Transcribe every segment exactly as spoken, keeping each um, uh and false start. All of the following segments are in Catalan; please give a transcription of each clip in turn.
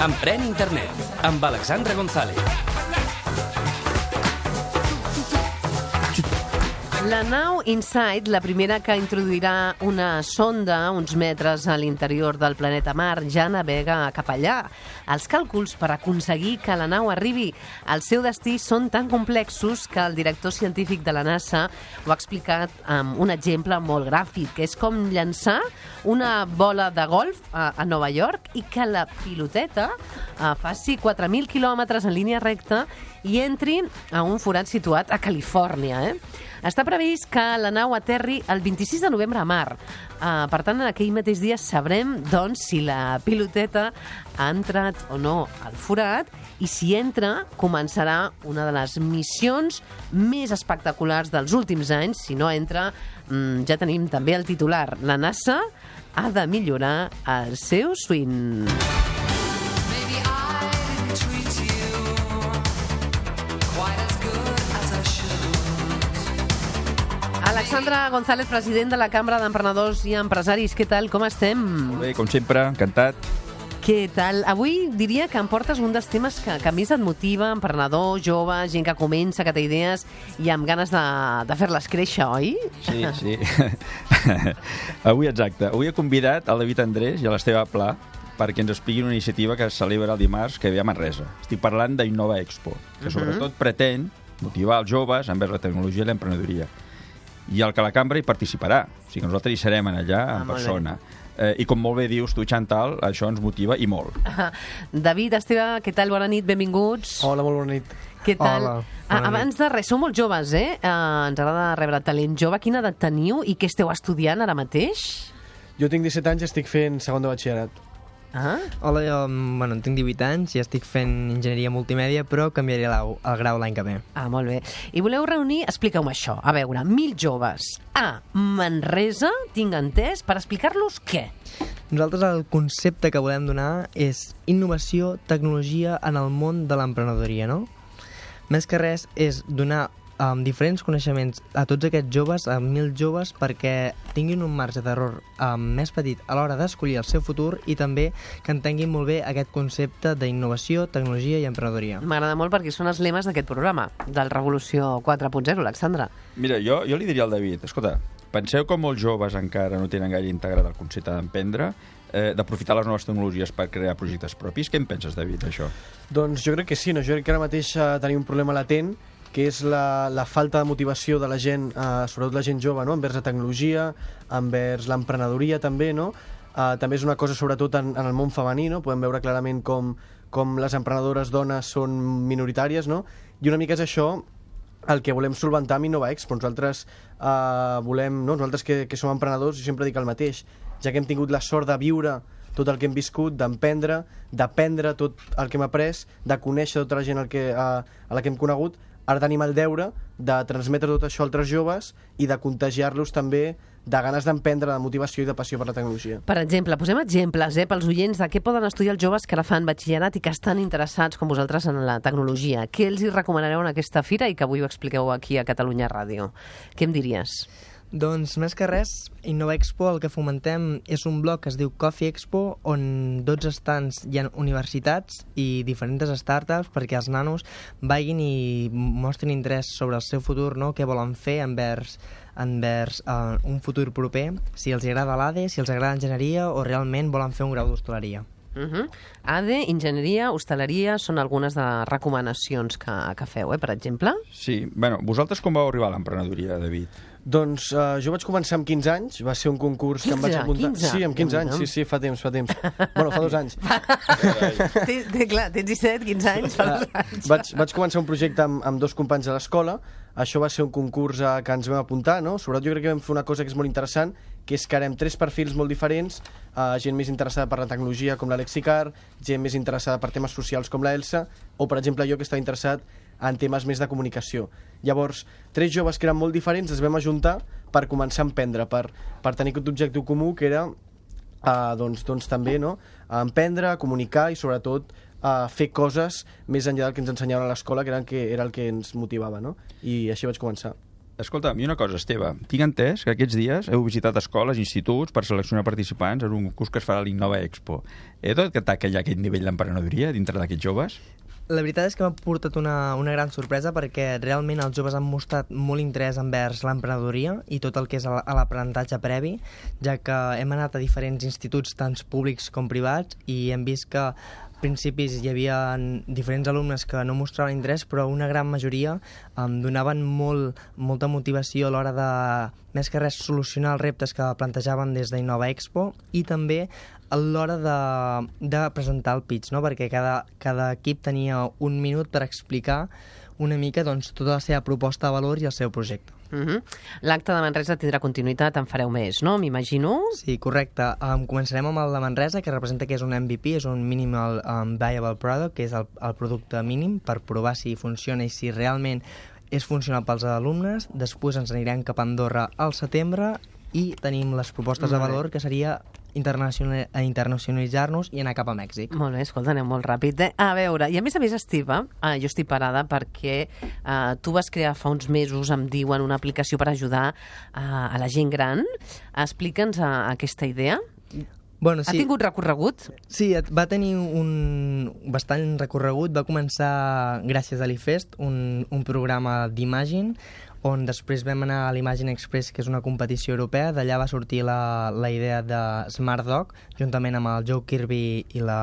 Emprèn Internet, amb Alexandra González. La nau InSight, la primera que introduirà una sonda uns metres a l'interior del planeta Mar, ja navega cap allà. Els càlculs per aconseguir que la nau arribi al seu destí són tan complexos que el director científic de la NASA ho ha explicat amb un exemple molt gràfic, que és com llançar una bola de golf a, a Nova York i que la piloteta a, faci quatre mil quilòmetres en línia recta i entri a un forat situat a Califòrnia. Eh? Està previst que la nau aterri el vint-i-sis de novembre a Mar. Uh, per tant, en aquell mateix dia sabrem doncs, si la piloteta ha entrat o no al forat i si entra, començarà una de les missions més espectaculars dels últims anys. Si no entra, um, ja tenim també el titular. La NASA ha de millorar el seu swing. Alexandra González, president de la Cambra d'Emprenedors i Empresaris. Què tal? Com estem? Molt bé, com sempre, encantat. Què tal? Avui diria que em portes un dels temes que, que més et motiva, emprenedor, jove, gent que comença, que té idees i amb ganes de, de fer-les créixer, oi? Sí, sí. Avui, exacte. Avui he convidat el David Andrés i a l'Esteve Pla perquè ens expliquin una iniciativa que es celebra el dimarts que ve a Manresa. Estic parlant d'Innova Expo, que sobretot uh-huh. pretén motivar els joves envers la tecnologia i l'emprenedoria. I el que la cambra hi participarà. O sigui que nosaltres hi serem allà en ah, persona. Eh, I com molt bé dius tu, Chantal, això ens motiva i molt. Ah, David, Esteve, què tal? Bona nit, benvinguts. Hola, molt bona nit. Què tal? Hola, ah, abans de res, sou molt joves, eh? eh? Ens agrada rebre talent jove. Quina edat teniu i què esteu estudiant ara mateix? Jo tinc disset anys i estic fent segon de batxillerat. Ah? Hola, jo bueno, tinc divuit anys i estic fent enginyeria multimèdia, però canviaré el grau l'any que ve. Ah, molt bé. I voleu reunir, expliqueu-me això, a veure, mil joves a Manresa, tinc entès, per explicar-los què? Nosaltres el concepte que volem donar és innovació, tecnologia en el món de l'emprenedoria, no? Més que res és donar um, diferents coneixements a tots aquests joves, a mil joves, perquè tinguin un marge d'error um, més petit a l'hora d'escollir el seu futur i també que entenguin molt bé aquest concepte d'innovació, tecnologia i emprenedoria. M'agrada molt perquè són els lemes d'aquest programa, del Revolució quatre punt zero, Alexandra. Mira, jo, jo li diria al David, escolta, penseu com molts joves encara no tenen gaire integrat el concepte d'emprendre, eh, d'aprofitar les noves tecnologies per crear projectes propis. Què en penses, David, això? Doncs jo crec que sí, no? Jo crec que ara mateix eh, tenim un problema latent, que és la, la falta de motivació de la gent, eh, sobretot la gent jove, no? Envers la tecnologia, envers l'emprenedoria també, no? Eh, també és una cosa sobretot en, en el món femení, no? Podem veure clarament com, com les emprenedores dones són minoritàries, no? I una mica és això el que volem solventar amb Innova Expo. Nosaltres eh, volem, no? Nosaltres que, que som emprenedors, jo sempre dic el mateix, ja que hem tingut la sort de viure tot el que hem viscut, d'emprendre, d'aprendre tot el que hem après, de conèixer tota la gent el que, a, a la que hem conegut, ara tenim el deure de transmetre tot això a altres joves i de contagiar-los també de ganes d'emprendre, de motivació i de passió per la tecnologia. Per exemple, posem exemples eh, pels oients de què poden estudiar els joves que ara fan batxillerat i que estan interessats, com vosaltres, en la tecnologia. Què els hi recomanareu en aquesta fira i que avui ho expliqueu aquí a Catalunya Ràdio? Què em diries? Doncs, més que res, Innova Expo el que fomentem és un blog que es diu Coffee Expo, on dotze stands hi ha universitats i diferents startups perquè els nanos vagin i mostrin interès sobre el seu futur, no? Què volen fer envers, envers uh, un futur proper, si els agrada l'A D E, si els agrada l'enginyeria o realment volen fer un grau d'hostaleria. Uh-huh. A D E, enginyeria, hostaleria, són algunes de recomanacions que, que feu, eh, per exemple? Sí, bueno, vosaltres com vau arribar a l'emprenedoria, David? Doncs uh, jo vaig començar amb quinze anys, va ser un concurs que em vaig apuntar. quinze? Sí, amb quinze anys, sí, sí, fa temps, fa temps. Bueno, fa dos anys. té, té, clar, tens disset, quinze anys, fa dos anys. Vaig, vaig començar un projecte amb, amb dos companys de l'escola. Això va ser un concurs uh, que ens vam apuntar, no? Sobretot jo crec que vam fer una cosa que és molt interessant, que és que harem tres perfils molt diferents, uh, gent més interessada per la tecnologia com l'Alexi Carr, gent més interessada per temes socials com la Elsa, o per exemple jo que estava interessat en temes més de comunicació. Llavors, tres joves que eren molt diferents es vam ajuntar per començar a emprendre, per, per tenir aquest objectiu comú que era uh, doncs, doncs també no? emprendre, comunicar i sobretot uh, fer coses més enllà del que ens ensenyaven a l'escola, que era el que, era el que ens motivava, no? I així vaig començar. Escolta, i una cosa, Esteve, tinc entès que aquests dies heu visitat escoles, instituts, per seleccionar participants en un curs que es farà a l'Innova Expo. He de detectar que hi ha aquest nivell d'emprenedoria dintre d'aquests joves? La veritat és que m'ha portat una, una gran sorpresa perquè realment els joves han mostrat molt interès envers l'emprenedoria i tot el que és l'aprenentatge previ, ja que hem anat a diferents instituts, tant públics com privats, i hem vist que a principis hi havia diferents alumnes que no mostraven interès, però una gran majoria em donaven molt, molta motivació a l'hora de, més que res, solucionar els reptes que plantejaven des d'Innova Expo, i també a l'hora de, de presentar el pitch, no? Perquè cada, cada equip tenia un minut per explicar una mica doncs, tota la seva proposta de valor i el seu projecte. Uh-huh. L'acte de Manresa tindrà continuïtat, en fareu més, no? M'imagino? Sí, correcte. Um, començarem amb el de Manresa, que representa que és un M V P, és un Minimal um, Viable Product, que és el, el producte mínim per provar si funciona i si realment és funcional pels alumnes. Després ens anirem cap a Andorra al setembre i tenim les propostes de valor, que seria internacional, internacionalitzar-nos i anar cap a Mèxic. Molt bé, escolta, anem molt ràpid. Eh? A veure, i a més a més, Esteve, eh, jo estic parada perquè eh, tu vas crear fa uns mesos, em diuen, una aplicació per ajudar eh, a la gent gran. Explica'ns eh, aquesta idea. Bueno, sí. Ha tingut recorregut? Sí, va tenir un bastant recorregut. Va començar gràcies a l'I Fest, un, un programa d'Imagine, on després vam anar a l'Imagine Express, que és una competició europea. D'allà va sortir la, la idea de Smart Dog, juntament amb el Joe Kirby i la...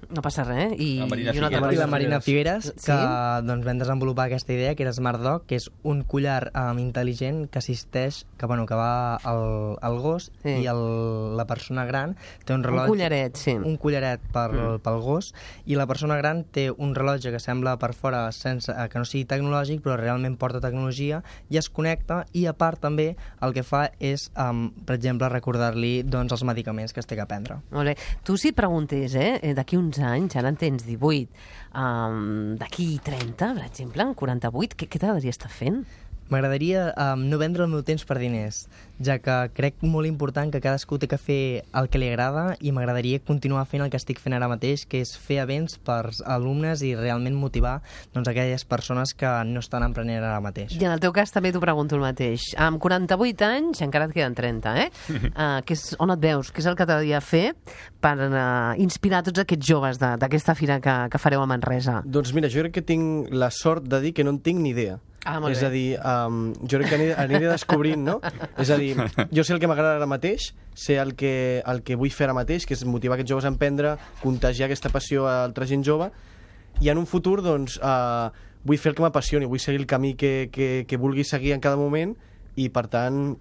No passa res. I, La Marina i, una Figueres. I la Marina Figueres, que Sí? doncs, vam desenvolupar aquesta idea, que era Smart Dog, que és un collar um, intel·ligent que assisteix, que, bueno, que va al, al gos, Sí. i el, la persona gran té un Un rellotge... collaret, sí. Un collaret per, mm. pel gos, i la persona gran té un rellotge que sembla per fora sense, eh, que no sigui tecnològic, però realment porta tecnologia, i es connecta, i a part també el que fa és, um, per exemple, recordar-li doncs, els medicaments que es té que prendre. Molt bé. Tu si et preguntés, eh, d'aquí uns anys, ara en tens divuit, um, d'aquí trenta, per exemple, en quaranta-vuit, què, què t'agradaria estar fent? M'agradaria um, no vendre el meu temps per diners, ja que crec molt important que cadascú té que fer el que li agrada, i m'agradaria continuar fent el que estic fent ara mateix, que és fer events per alumnes i realment motivar doncs, aquelles persones que no estan emprenent ara mateix. I en el teu cas també t'ho pregunto el mateix. Amb quaranta-vuit anys, encara et queden trenta, eh? uh, que és, on et veus? Què és el que t'agradaria fer per uh, inspirar tots aquests joves d'aquesta fira que, que fareu a Manresa? Doncs mira, jo crec que tinc la sort de dir que no en tinc ni idea. Ah, molt és bé. a dir, um, jo crec que aniré, aniré descobrint, no? És a dir, jo sé el que m'agrada ara mateix, sé el que, el que vull fer ara mateix, que és motivar aquests joves a emprendre, contagiar aquesta passió a altra gent jove, i en un futur, doncs, uh, vull fer el que m'apassioni, vull seguir el camí que, que, que vulgui seguir en cada moment, i, per tant,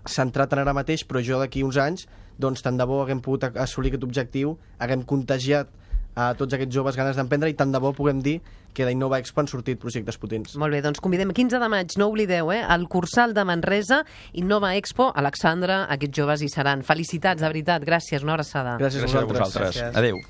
centrat en ara mateix, però jo d'aquí uns anys, doncs, tant de bo haguem pogut assolir aquest objectiu, haguem contagiat a tots aquests joves ganes d'emprendre, i tant de bo puguem dir que d'Innova Expo han sortit projectes potents. Molt bé, doncs convidem quinze de maig, no oblideu, eh? El Cursal de Manresa, Innova Expo, Alexandra, aquests joves hi seran. Felicitats, de veritat, gràcies, una abraçada. Gràcies, Gràcies a vosaltres. vosaltres. Gràcies. Adéu.